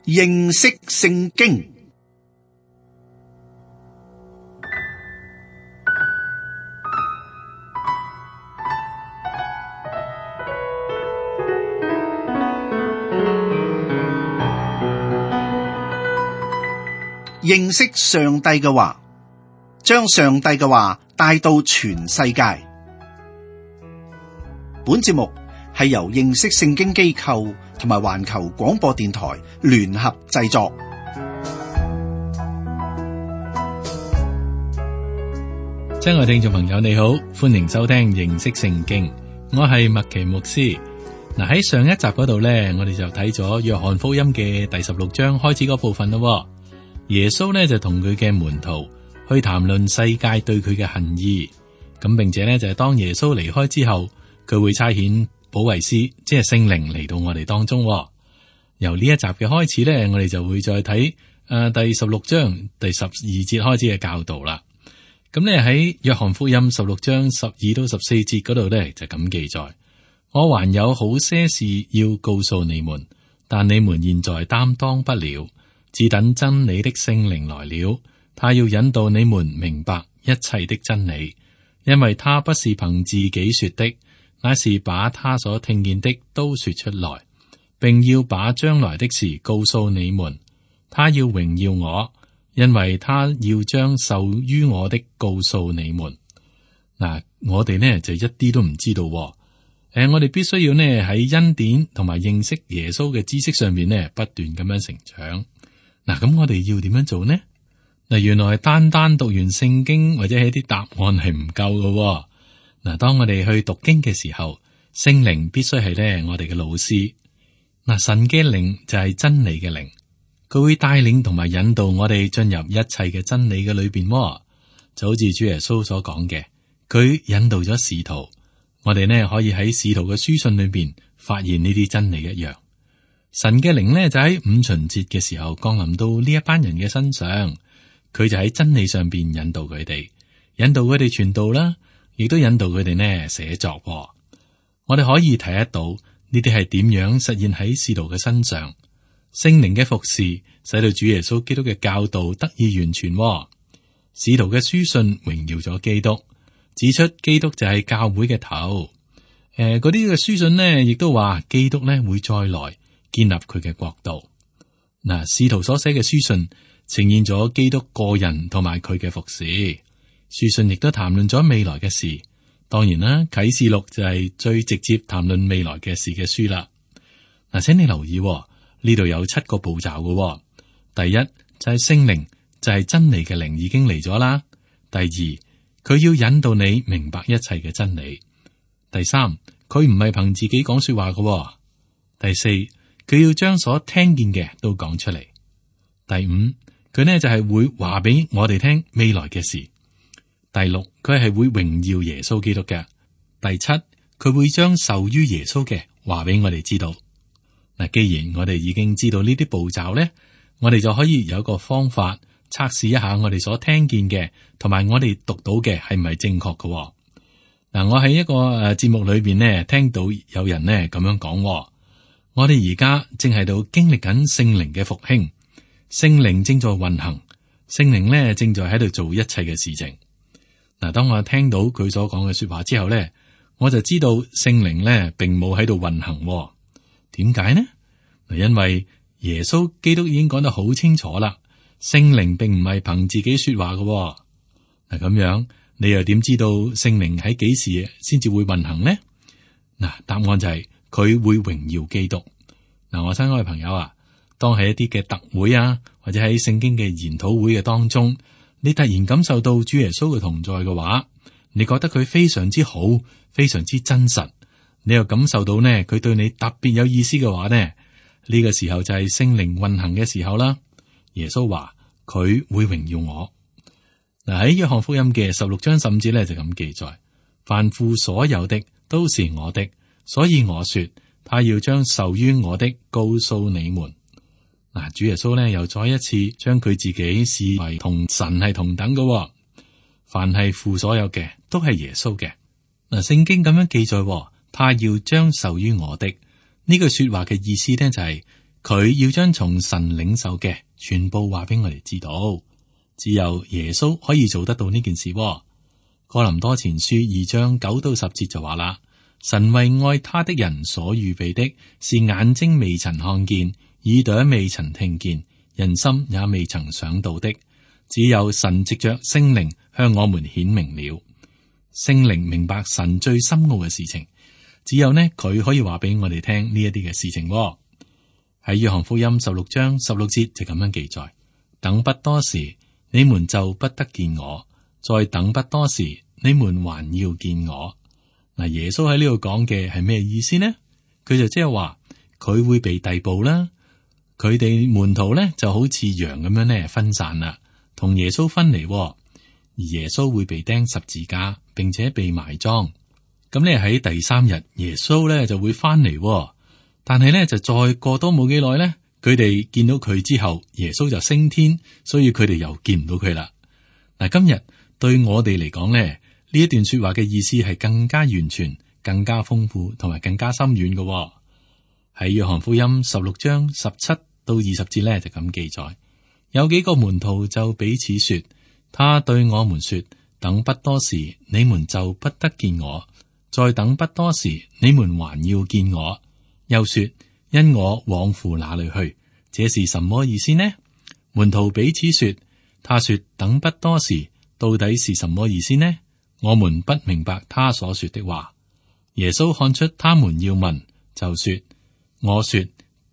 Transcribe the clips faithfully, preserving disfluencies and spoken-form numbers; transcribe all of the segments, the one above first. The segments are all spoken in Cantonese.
認識聖經。認識上帝嘅話，將上帝嘅話帶到全世界。本節目係由認識聖經機構同埋環球廣播電台聯合製作。親愛聽眾朋友你好，歡迎收聽認識聖經，我係麥奇牧師。嗱，喺上一集嗰度呢，我哋就睇咗約翰福音嘅第十六章開始嗰部分咯。耶穌呢就同佢嘅門徒去談論世界對佢嘅恨意，咁並且呢就係當耶穌離開之後，佢會差遣保惠師，即係聖靈嚟到我哋當中。由呢一集嘅開始呢，我哋就會再睇誒、呃、第十六章第十二節開始嘅教導啦。咁呢喺約翰福音十六章十二到十四節嗰度呢，就咁記載：我還有好些事要告訴你們，但你們現在擔當不了。只等真理的聖靈來了，他要引導你們明白一切的真理，因為他不是憑自己說的，乃是把他所聽見的都說出來，並要把將來的事告訴你們。他要榮耀我，因為他要將受於我的告訴你們。嗱，我哋呢就一啲都唔知道。誒、呃，我哋必須要呢喺恩典同埋認識耶穌嘅知識上面呢不斷咁樣成長。嗱，咁我哋要點樣做呢？嗱，原來單單讀完聖經或者係啲答案係唔夠嘅。嗱，當我哋去讀經嘅時候，聖靈必須係咧我哋嘅老師。嗱，神嘅靈就係真理嘅靈，佢會帶領同埋引導我哋進入一切嘅真理嘅裏邊。就好似主耶穌所講嘅，佢引導咗使徒，我哋呢可以喺使徒嘅書信裏邊發現呢啲真理一樣。神嘅靈呢，就喺五旬節嘅時候降臨到呢一班人嘅身上，佢就喺真理上邊引導佢哋，引導佢哋傳道啦，亦都引導佢哋呢寫作。我哋可以睇得到呢啲係點樣實現喺使徒嘅身上，聖靈嘅服侍使到主耶穌基督嘅教導得以完全。使徒嘅書信榮耀咗基督，指出基督就係教會嘅頭。誒、呃，嗰啲嘅書信呢，亦都話基督呢會再來。建立佢嘅國度。嗱，使徒所寫嘅書信呈現咗基督個人同埋佢嘅服侍。書信亦都談論咗未來嘅事。當然啦，啟示錄就係最直接談論未來嘅事嘅書啦。嗱，請你留意呢度有七個步驟嘅。第一就係聖靈，就係真理嘅靈已經嚟咗啦。第二，佢要引導你明白一切嘅真理。第三，佢唔係憑自己講說話嘅。第四，佢要將所聽見嘅都講出嚟。第五，佢呢就係會話俾我哋聽未來嘅事。第六，佢係會榮耀耶穌基督嘅。第七，佢會將受於耶穌嘅話俾我哋知道。嗱，既然我哋已經知道呢啲步驟咧，我哋就可以有一個方法測試一下我哋所聽見嘅同埋我哋讀到嘅係咪正確嘅。嗱，我喺一個誒節目裏邊呢，聽到有人呢咁樣講。我哋而家正喺度經歷緊聖靈嘅復興，聖靈正在運行，聖靈咧正在喺度做一切嘅事情。嗱，當我聽到佢所講嘅說話之後咧，我就知道聖靈咧並冇喺度運行。點解呢？因為耶穌基督已經講得好清楚啦，聖靈並唔係憑自己說話嘅。嗱，咁樣你又點知道聖靈喺幾時先至會運行呢？嗱，答案就係、是。佢會榮耀基督。嗱，我親愛嘅朋友啊，當喺一啲嘅特會啊，或者喺聖經嘅研討會嘅當中，你突然感受到主耶穌嘅同在嘅話，你覺得佢非常之好，非常之真實，你又感受到呢，佢對你特別有意思嘅話呢，呢、呢個時候就係聖靈運行嘅時候啦。耶穌話佢會榮耀我。嗱，喺約翰福音嘅十六章十五節咧就咁記載：凡父所有的都是我的。所以我說，他要將受於我的告訴你們。嗱，主耶穌呢又再一次將佢自己視為同神係同等嘅。凡係父所有嘅，都係耶穌嘅。嗱，聖經咁樣記載，他要將受於我的呢句說話嘅意思呢，就係佢要將從神領受嘅全部話俾我哋知道。只有耶穌可以做得到呢件事。哥林多前書二章九到十節就話啦：神為愛他的人所預備的，是眼睛未曾看見，耳朵未曾聽見，人心也未曾想到的。只有神藉着聖靈向我們顯明了。聖靈明白神最深奧嘅事情，只有呢佢可以話俾我哋聽呢一啲嘅事情。喺約翰福音十六章十六節就咁樣記載：等不多時，你們就不得見我；再等不多時，你們還要見我。嗱，耶穌喺呢度講嘅係咩意思呢？佢就即係話佢會被逮捕啦，佢哋門徒咧就好似羊咁樣咧分散啦，同耶穌分離，而耶穌會被釘十字架，並且被埋葬。咁咧喺第三日，耶穌咧就會翻嚟，但係咧就再過多冇幾耐咧，佢哋見到佢之後，耶穌就升天，所以佢哋又見唔到佢啦。嗱，今日對我哋嚟講咧，呢一段說話嘅意思係更加完全、更加豐富同埋更加深遠嘅。喺約翰福音十六章十七到二十節咧就咁記載，有幾個門徒就彼此說：他對我們說，等不多時，你們就不得見我；再等不多時，你們還要見我。又說：因我往父那裏去。這是什麼意思呢？門徒彼此說：他說等不多時，到底是什麼意思呢？我們不明白他所說的話。耶穌看出他們要問，就說：我說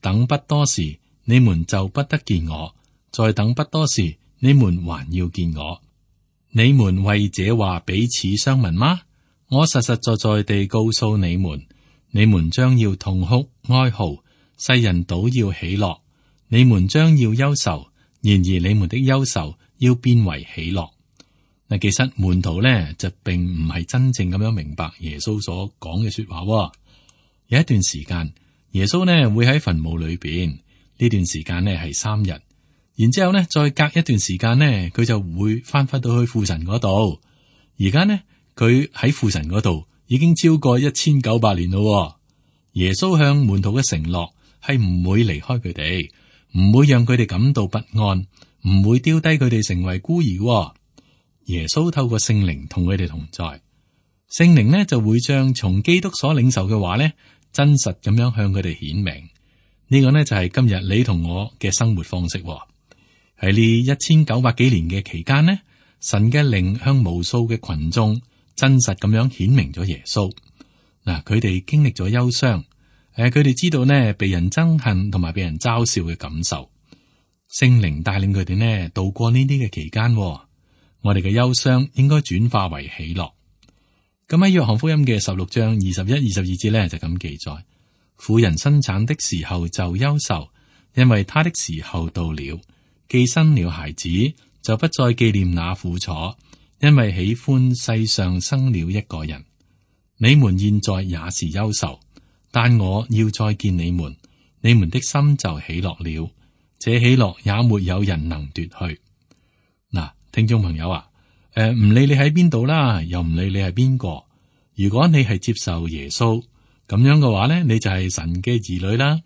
等不多時，你們就不得見我；再等不多時，你們還要見我。你們為這話彼此相問嗎？我實實在在地告訴你們，你們將要痛哭哀號，世人倒要喜樂。你們將要憂愁，然而你們的憂愁要變為喜樂。嗱，其實門徒咧就並唔係真正咁樣明白耶穌所講嘅說話。有一段時間，耶穌呢會喺墳墓裏邊，呢段時間呢係三日，然之後呢再隔一段時間呢，佢就會翻返到去父神嗰度。而家呢，佢喺父神嗰度已經超過一千九百年咯。耶穌向門徒嘅承諾係唔會離開佢哋，唔會讓佢哋感到不安，唔會丟低佢哋成為孤兒。耶穌透過聖靈同佢哋同在，聖靈呢就會將從基督所領受嘅話呢，真實咁樣向佢哋顯明。呢個呢就係今日你同我嘅生活方式。喺呢一千九百幾年嘅期間呢，神嘅靈向無數嘅群眾真實咁樣顯明咗耶穌。嗱，佢哋經歷咗憂傷，誒，佢哋知道呢被人憎恨同埋被人嘲笑嘅感受。聖靈帶領佢哋呢度過呢啲嘅期間。我哋嘅憂傷應該轉化為喜樂。咁喺約翰福音嘅十六章二十一、二十二節咧就咁記載：婦人生產的時候就憂愁，因為她的時候到了。既生了孩子，就不再紀念那苦楚，因為喜歡世上生了一個人。你們現在也是憂愁，但我要再見你們，你們的心就喜樂了。這喜樂也沒有人能奪去。嗱。聽眾朋友啊，誒、呃，唔理你喺邊度啦，又唔理你係邊個，如果你係接受耶穌咁樣嘅話咧，你就係神嘅兒女啦。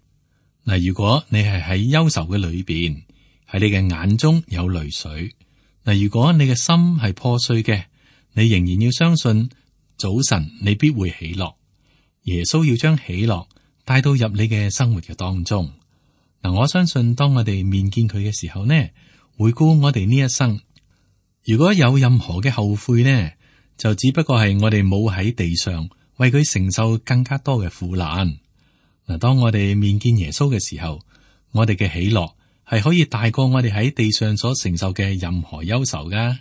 嗱，如果你係喺憂愁嘅裏邊，喺你嘅眼中有淚水，嗱，如果你嘅心係破碎嘅，你仍然要相信早晨你必會喜樂。耶穌要將喜樂帶到入你嘅生活嘅當中。嗱，我相信當我哋面見佢嘅時候呢，回顧我哋呢一生。如果有任何嘅後悔呢，就只不過係我哋冇喺地上為佢承受更加多嘅苦難。嗱，當我哋面見耶穌嘅時候，我哋嘅喜樂係可以大過我哋喺地上所承受嘅任何憂愁噶。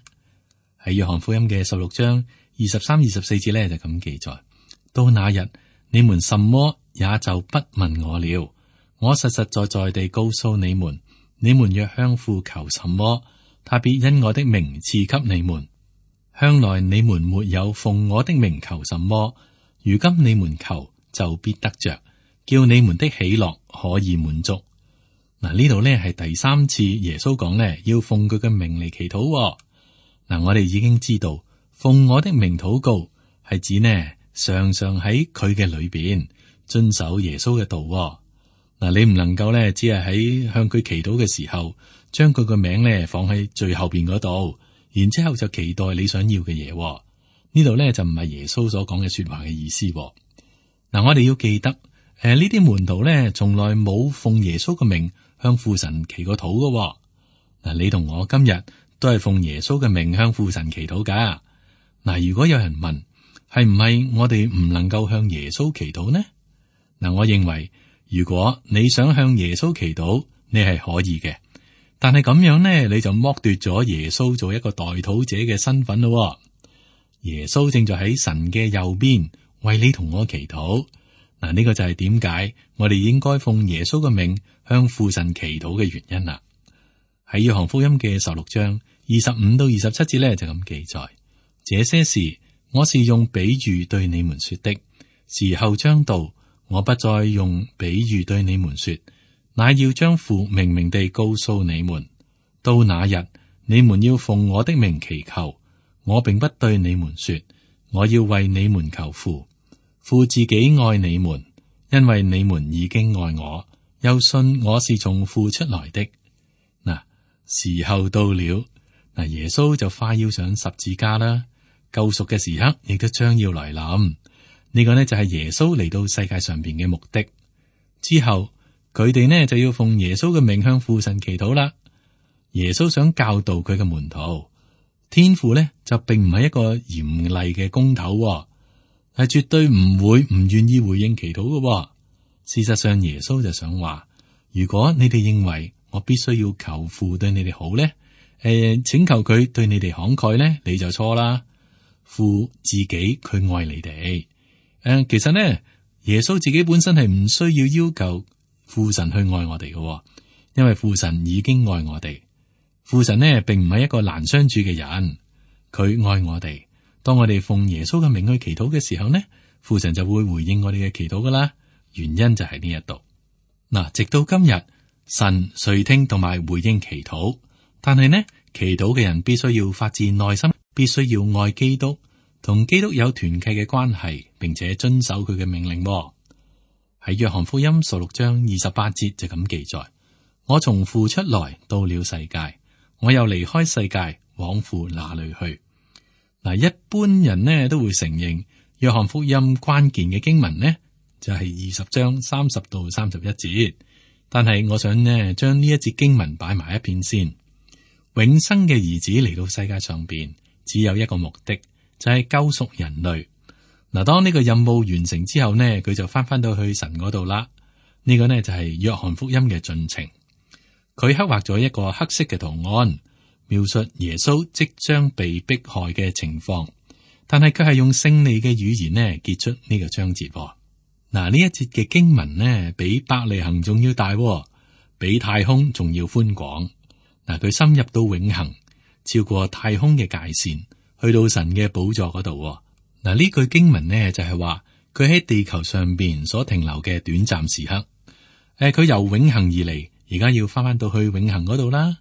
喺約翰福音嘅十六章二十三、二十四節咧就咁記載：到那日，你們什麼也就不問我了。我實實在在地告訴你們，你們若向父求什麼，他必因我的名賜給你們。向來你們沒有奉我的名求什麼，如今你們求就必得着，叫你們的喜樂可以滿足。嗱，呢度呢係第三次耶穌講呢，要奉佢嘅名嚟祈禱。嗱，我哋已經知道奉我的名禱告係指呢常常喺佢嘅裏邊遵守耶穌嘅道。嗱，嗱，你唔能夠咧，只係喺向佢祈禱嘅時候，將佢個名咧放喺最後邊嗰度，然之後就期待你想要嘅嘢。呢度咧就唔係耶穌所講嘅說話嘅意思。嗱，我哋要記得，誒呢啲門徒咧從來冇奉耶穌嘅名向父神祈過禱嘅。嗱，你同我今日都係奉耶穌嘅名向父神祈禱噶。嗱，如果有人問，係唔係我哋唔能夠向耶穌祈禱呢？嗱，我認為如果你想向耶穌祈禱，你係可以嘅，但係咁樣呢，你就剝奪咗耶穌做一個代禱者嘅身份咯。耶穌正在喺神嘅右邊為你同我祈禱。嗱，呢個就係點解我哋應該奉耶穌嘅名向父神祈禱嘅原因啦。喺約翰福音嘅十六章二十五到二十七節咧就咁記載：這些事我是用比喻對你們說的，時候將到，我不再用比喻對你們說，乃要將父明明地告訴你們。到那日，你們要奉我的名祈求。我並不對你們說，我要為你們求父。父自己愛你們，因為你們已經愛我，又信我是從父出來的。嗱，時候到了，嗱，耶穌就快要上十字架啦，救贖嘅時刻亦都將要來臨。呢個呢就係耶穌嚟到世界上邊嘅目的。之後佢哋呢就要奉耶穌嘅名向父神祈禱啦。耶穌想教導佢嘅門徒。天父咧就並唔係一個嚴厲嘅公頭，係絕對唔會唔願意回應祈禱嘅。事實上，耶穌就想話：如果你哋認為我必須要求父對你哋好咧，誒、呃，請求佢對你哋慷慨咧，你就錯啦。父自己佢愛你哋，誒、呃，其實呢，耶穌自己本身係唔需要要求父神去愛我哋嘅，因為父神已經愛我哋。父神呢，並唔係一個難相處嘅人，佢愛我哋。當我哋奉耶穌嘅名去祈禱嘅時候呢，父神就會回應我哋嘅祈禱噶啦。原因就係呢一度。嗱，直到今日，神垂聽同埋回應祈禱，但係呢，祈禱嘅人必須要發自內心，必須要愛基督，同基督有團契嘅關係，並且遵守佢嘅命令。喺約翰福音十六章二十八節就咁記載：我從父出來，到了世界。我又離開世界，往父那裏去。嗱，一般人呢都會承認約翰福音關鍵嘅經文呢就係二十章三十到三十一節，但係我想呢將呢一節經文擺埋一邊先。永生嘅兒子嚟到世界上邊，只有一個目的，就係救贖人類。嗱，當呢個任務完成之後呢，佢就翻翻到去神嗰度啦。呢個呢就係約翰福音嘅進程。佢刻畫咗一個黑色嘅圖案，描述耶穌即將被迫害嘅情況，但係佢係用勝利嘅語言呢結束呢個章節。嗱，呢一節嘅經文呢，比伯利恆仲要大，比太空仲要寬廣。嗱，佢深入到永恆，超過太空嘅界線，去到神嘅寶座嗰度。嗱，呢句經文呢就係話佢喺地球上邊所停留嘅短暫時刻。誒，佢由永恆而嚟。而家要翻翻到去永恆嗰度啦。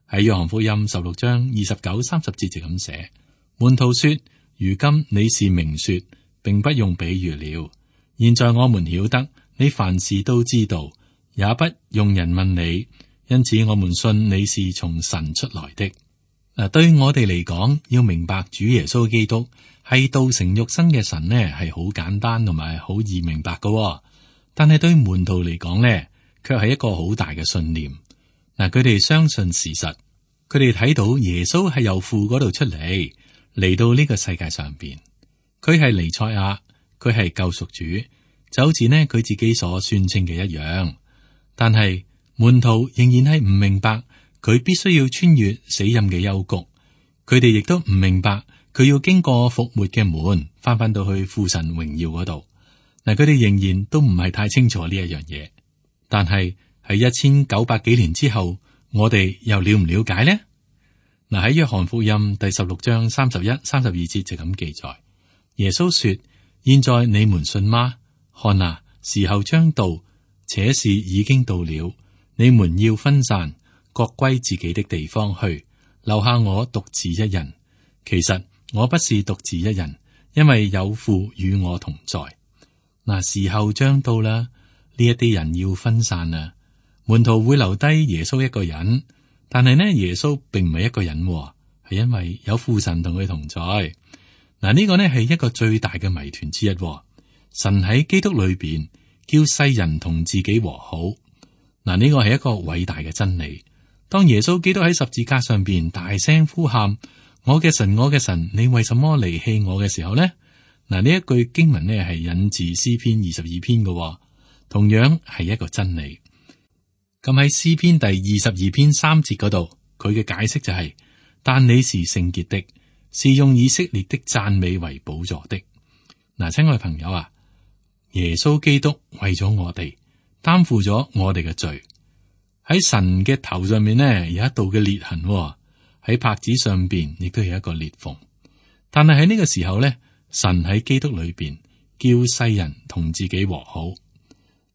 喺約翰福音十六章二十九、三十節就咁寫：門徒說，如今你是明說，並不用比喻了。現在我們曉得你凡事都知道，也不用人問你，因此我們信你是從神出來的。嗱，對於我哋嚟講，要明白主耶穌基督係道成肉身嘅神呢，係好簡單同埋好易明白嘅。但係對門徒嚟講呢，卻係一個好大嘅信念。嗱，佢哋相信事實，佢哋睇到耶穌係由父嗰度出嚟，嚟到呢個世界上邊。佢係彌賽亞，佢係救贖主，就好似呢佢自己所宣稱嘅一樣。但係門徒仍然係唔明白，佢必須要穿越死蔭嘅幽谷。佢哋亦都唔明白，佢要經過復活嘅門，翻返到去父神榮耀嗰度。嗱，佢哋仍然都唔係太清楚呢一樣嘢。但係喺一千九百幾年之後，我哋又了唔了解呢？嗱，喺約翰福音第十六章三十一、三十二節就咁記載：耶穌說，現在你們信嗎？看啊，時候將到，且是已經到了，你們要分散，各歸自己的地方去，留下我獨自一人。其實我不是獨自一人，因為有父與我同在。嗱，時候將到啦。呢一啲人要分散啊，門徒會留低耶穌一個人，但係呢，耶穌並唔係一個人，係因為有父神同佢同在。嗱，呢個呢係一個最大嘅謎團之一。神喺基督裏邊叫世人同自己和好。嗱，呢個係一個偉大嘅真理。當耶穌基督喺十字架上邊大聲呼喊：我嘅神，我嘅神，你為什麼離棄我嘅時候呢？嗱，呢一句經文呢係引自詩篇二十二篇嘅，同樣係一個真理。咁喺詩篇第二十二篇三節嗰度，佢嘅解釋就係、是：但你是聖潔的，是用以色列的讚美為寶座的。嗱，親愛朋友啊，耶穌基督為咗我哋擔負咗我哋嘅罪。喺神嘅頭上面呢，有一道嘅裂痕，喺帕子上邊亦都有一個裂縫。但係喺呢個時候呢，神喺基督裏邊叫世人同自己和好。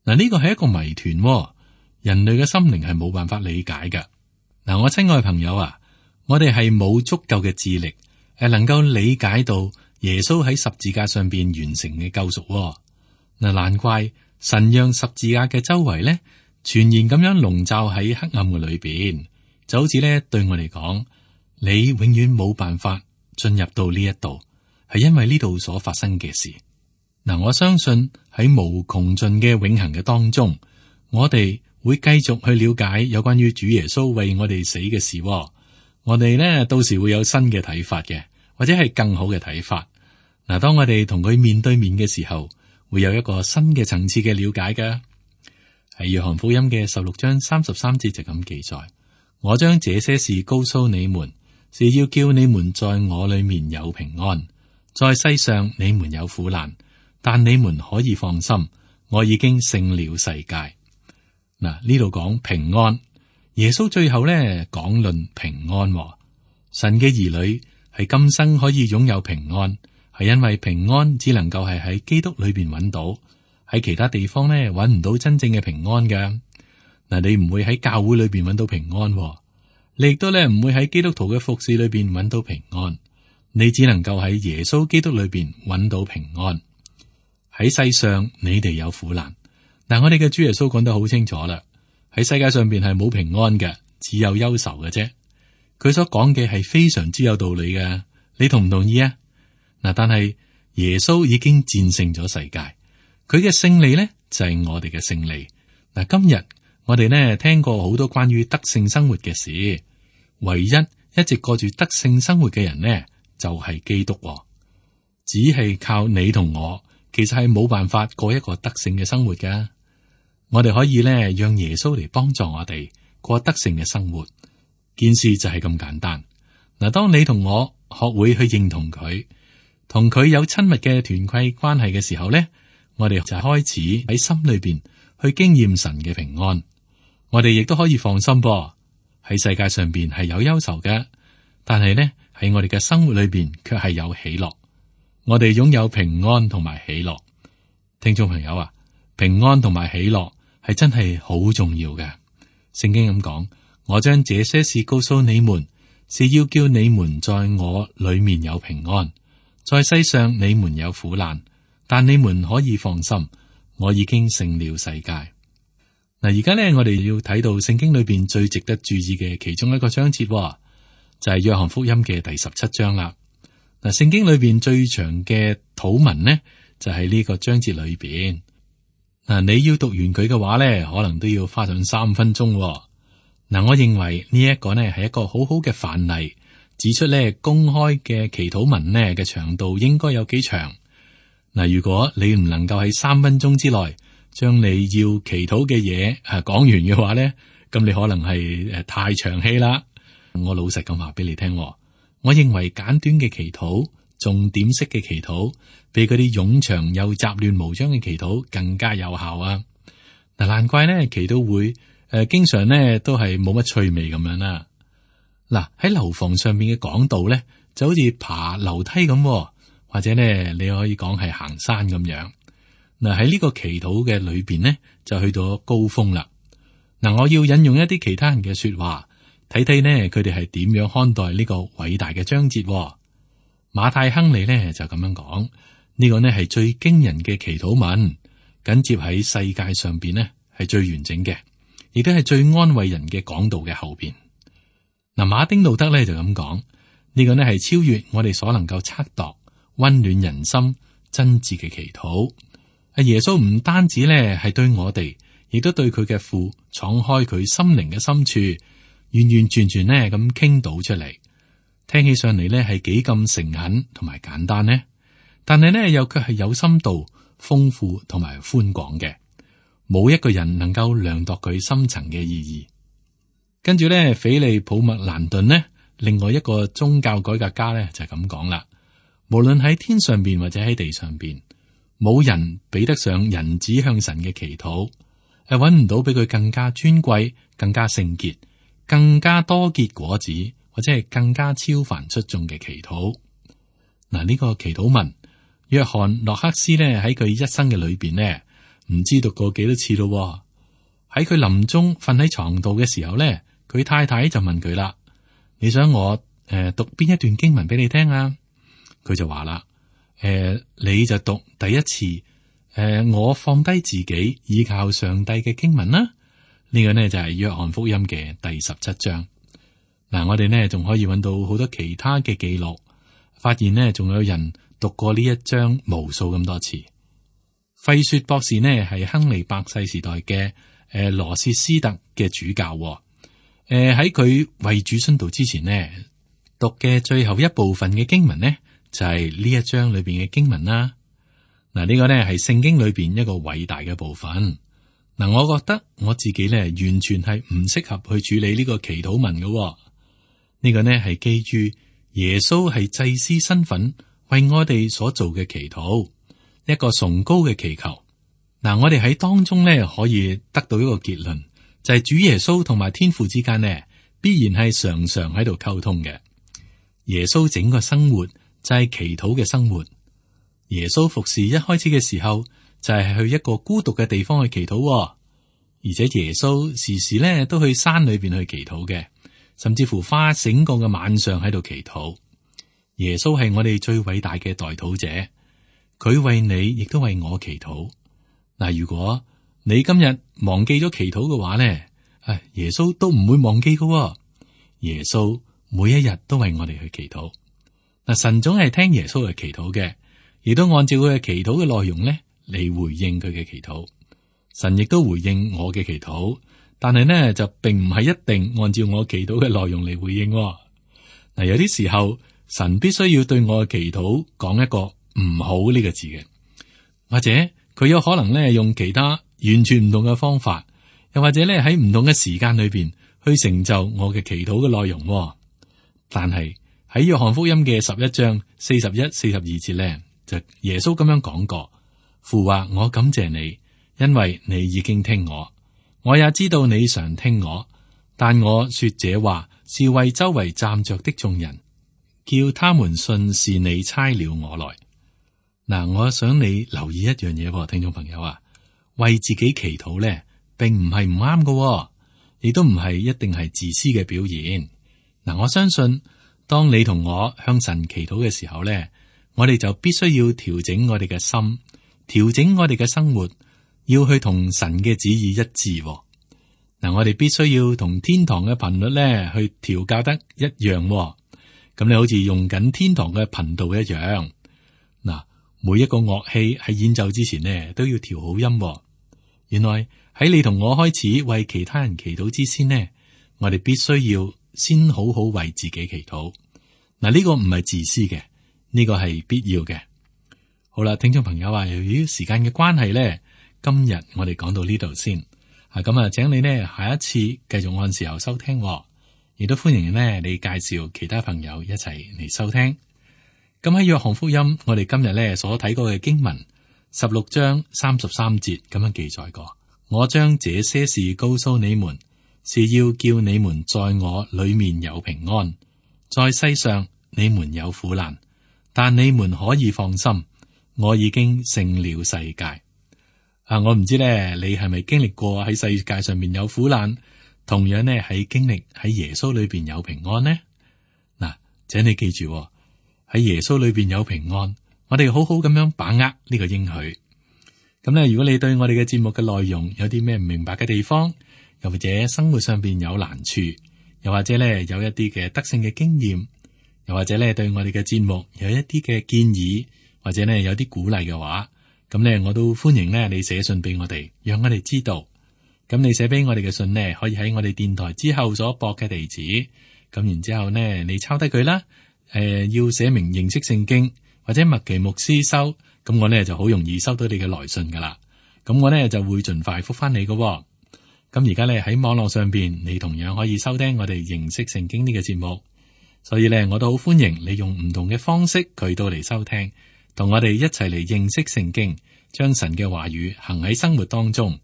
嗱，呢個係一個謎團，人類嘅心靈係冇辦法理解嘅。嗱，我親愛嘅朋友啊，我哋係冇足夠嘅智力誒，能夠理解到耶穌喺十字架上邊完成嘅救贖。嗱，難怪神讓十字架嘅周圍呢，全然咁樣籠罩喺黑暗嘅裏邊，就好似咧對我嚟講，你永遠冇辦法進入到呢一度，係因為呢度所發生嘅事。嗱，我相信喺無窮盡嘅永恆嘅當中，我哋會繼續去了解有關於主耶穌為我哋死嘅事。我哋呢到時會有新嘅睇法嘅，或者係更好嘅睇法。嗱，當我哋同佢面對面嘅時候，會有一個新嘅層次嘅了解㗎。喺約翰福音嘅十六章三十三節就咁記載：我將這些事告訴你們，是要叫你們在我裏面有平安。在世上你們有苦難，但你們可以放心，我已經勝了世界。嗱，呢度講平安，耶穌最後咧講論平安。神嘅兒女係今生可以擁有平安，係因為平安只能夠係喺基督裏邊揾到。喺其他地方咧，揾唔到真正嘅平安嘅。嗱，你唔會喺教會裏邊揾到平安，你亦都咧唔會喺基督徒嘅服侍裏邊揾到平安。你只能夠喺耶穌基督裏邊揾到平安。喺世上，你哋有苦難。嗱，我哋嘅主耶穌講得好清楚啦，喺世界上邊係冇平安嘅，只有憂愁嘅啫。佢所講嘅係非常之有道理嘅，你同唔同意啊？嗱，但係耶穌已經戰勝咗世界。佢嘅勝利呢，就係我哋嘅勝利。嗱，今日我哋呢聽過好多關於得勝生活嘅事，唯一一直過住得勝生活嘅人呢，就係基督。只係靠你同我，其實係冇辦法過一個得勝嘅生活噶。我哋可以呢讓耶穌嚟幫助我哋過得勝嘅生活，件事就係咁簡單。嗱，當你同我學會去認同佢，同佢有親密嘅團契關係嘅時候呢，我哋就開始喺心裏邊去經驗神嘅平安。我哋亦都可以放心噃，喺世界上邊係有憂愁嘅，但係呢喺我哋嘅生活裏邊卻係有喜樂。我哋擁有平安同埋喜樂。聽眾朋友啊，平安同埋喜樂係真係好重要嘅。聖經咁講：我將這些事告訴你們，是要叫你們在我裏面有平安。在世上你們有苦難，但你們可以放心，我已經勝了世界。嗱，而家咧，我哋要睇到聖經裏邊最值得注意嘅其中一個章節，就係約翰福音嘅第十七章啦。嗱，聖經裏邊最長嘅禱文呢，就喺呢個章節裏邊。嗱，你要讀完佢嘅話咧，可能都要花上三分鐘。嗱，我認為呢一個呢係一個好好嘅範例，指出咧公開嘅祈禱文呢嘅長度應該有幾長。嗱，如果你唔能夠喺三分鐘之內將你要祈禱嘅嘢啊講完嘅話咧，咁你可能係誒太長氣啦。我老實咁話俾你聽，我認為簡短嘅祈禱、重點式嘅祈禱，比嗰啲冗長又雜亂無章嘅祈禱更加有效啊！嗱，難怪咧祈禱會誒、呃，經常咧都係冇乜趣味咁樣啦。嗱，喺樓房上面嘅講道咧，就好似爬樓梯咁。或者咧，你可以講係行山咁樣。嗱，喺呢個祈禱嘅裏邊呢，就去到高峰啦。嗱，我要引用一啲其他人嘅說話，睇睇呢佢哋係點樣看待呢個偉大嘅章節。馬太亨利呢就咁樣講，呢個呢係最驚人嘅祈禱文，緊接喺世界上邊呢係最完整嘅，亦都係最安慰人嘅講道嘅後邊。嗱，馬丁路德咧就咁講，呢個呢係超越我哋所能夠測度、溫暖人心、真摯嘅祈禱。阿耶穌唔單止咧係對我哋，亦都對佢嘅父敞開佢心靈嘅深處，完完全全呢咁傾倒出嚟。聽起上嚟呢係幾咁誠懇同埋簡單呢？但係呢又卻係有深度、豐富同埋寬廣嘅，冇一個人能夠量度佢深層嘅意義。跟住呢，斐利普麥蘭頓呢，另外一個宗教改革家呢，就係咁講啦：無論喺天上邊或者喺地上邊，冇人比得上人子向神嘅祈禱，係揾唔到比佢更加尊貴、更加聖潔、更加多結果子，或者係更加超凡出眾嘅祈禱。嗱，呢個祈禱文，約翰諾克斯呢喺佢一生嘅裏邊呢，唔知讀過幾多次咯。喺佢臨終瞓喺床度嘅時候呢，佢太太就問佢啦：你想我誒、呃、讀邊一段經文俾你聽啊？佢就話啦：誒、呃，你就讀第一次誒、呃，我放低自己依靠上帝嘅經文啦。呢、這個呢就係、是、約翰福音嘅第十七章。嗱，我哋呢仲可以揾到好多其他嘅記錄，發現呢仲有人讀過呢一章無數咁多次。費雪博士呢係亨利八世時代嘅誒羅切斯特嘅主教，誒喺佢為主殉道之前呢，讀嘅最後一部分嘅經文呢就係、是、呢一章裏邊嘅經文啦。嗱，呢個呢係聖經裏邊一個偉大嘅部分。嗱，我覺得我自己呢完全係唔適合去處理呢個祈禱文嘅。呢個呢係基於耶穌係祭司身份為我哋所做嘅祈禱，一個崇高嘅祈求。嗱，我哋喺當中呢可以得到一個結論，就係、是、主耶穌同埋天父之間呢必然係常常喺度溝通嘅。耶穌整個生活就係祈禱嘅生活。耶穌服侍一開始嘅時候就係去一個孤獨嘅地方去祈禱，而且耶穌時時呢都去山裏邊去祈禱嘅。甚至乎花整個嘅晚上喺度祈禱。耶穌係我哋最偉大嘅代禱者，佢為你亦都為我祈禱。嗱，如果你今日忘記咗祈禱嘅話咧，誒，耶穌都唔會忘記㗎。耶穌每一日都為我哋去祈禱。嗱，神總係聽耶穌嘅祈禱嘅，亦都按照佢嘅祈禱嘅內容咧嚟回應佢嘅祈禱。神亦都回應我嘅祈禱。但係呢，就並唔係一定按照我祈禱嘅內容嚟回應。嗱，有啲時候神必須要對我嘅祈禱講一個唔好呢個字嘅，或者佢有可能呢用其他完全唔同嘅方法，又或者呢喺唔同嘅時間裏邊去成就我嘅祈禱嘅內容。但係喺約翰福音嘅十一章四十一、四十二節呢，就耶穌咁樣講過：父話我感謝你，因為你已經聽我。我也知道你常聽我，但我說這話是為周圍站着的眾人，叫他們信是你差了我來。嗱，我想你留意一樣嘢，聽眾朋友啊，為自己祈禱咧，並唔係唔啱嘅，亦都唔係一定係自私嘅表現。嗱，我相信當你同我向神祈禱嘅時候咧，我哋就必須要調整我哋嘅心，調整我哋嘅生活。要去同神嘅旨意一致，嗱、嗯，我哋必須要同天堂嘅頻率咧去調校得一樣，咁、嗯、你好似用緊天堂嘅頻道一樣。嗱、嗯，每一個樂器喺演奏之前呢，都要調好音。原來喺你同我開始為其他人祈禱之先呢，我哋必須要先好好為自己祈禱。嗱、嗯，呢、這個唔係自私嘅，呢、這個係必要嘅。好啦，聽眾朋友啊，由於時間嘅關係咧。今日我哋講到呢度先，啊咁啊，請你呢下一次繼續按時候收聽，亦都歡迎呢你介紹其他朋友一齊嚟收聽。咁喺約翰福音，我哋今日呢所睇過嘅經文十六章三十三節咁樣記載過：我將這些事告訴你們，是要叫你們在我裏面有平安。在世上你們有苦難，但你們可以放心，我已經勝了世界。啊！我唔知咧，你係咪經歷過喺世界上面有苦難，同樣呢喺經歷喺耶穌裏邊有平安呢？嗱，請你記住喺耶穌裏邊有平安，我哋好好咁樣把握呢個應許。咁咧，如果你對我哋嘅節目嘅內容有啲咩唔明白嘅地方，又或者生活上邊有難處，又或者咧有一啲嘅得勝嘅經驗，又或者咧對我哋嘅節目有一啲嘅建議，或者咧有啲鼓勵嘅話，咁咧我都歡迎咧你寫信俾我哋，讓我哋知道。咁你寫俾我哋嘅信呢，可以喺我哋電台之後所駁嘅地址。咁然之後呢，你抄低佢啦。誒、呃，要寫明認識聖經或者麥奇牧師收，咁我呢就好容易收到你嘅來信噶啦。咁我呢就會盡快覆翻你噶。咁而家呢，喺網絡上邊，你同樣可以收聽我哋認識聖經呢個節目。所以呢，我都好歡迎你用唔同嘅方式渠道嚟收聽，同我哋一齊嚟認識聖經，將神嘅話語行喺生活當中。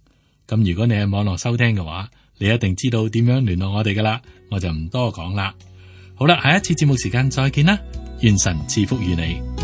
咁如果你喺網絡收聽嘅話，你一定知道點樣聯絡我哋噶啦，我就唔多講啦。好啦，下一次節目時間再見啦，願神賜福於你。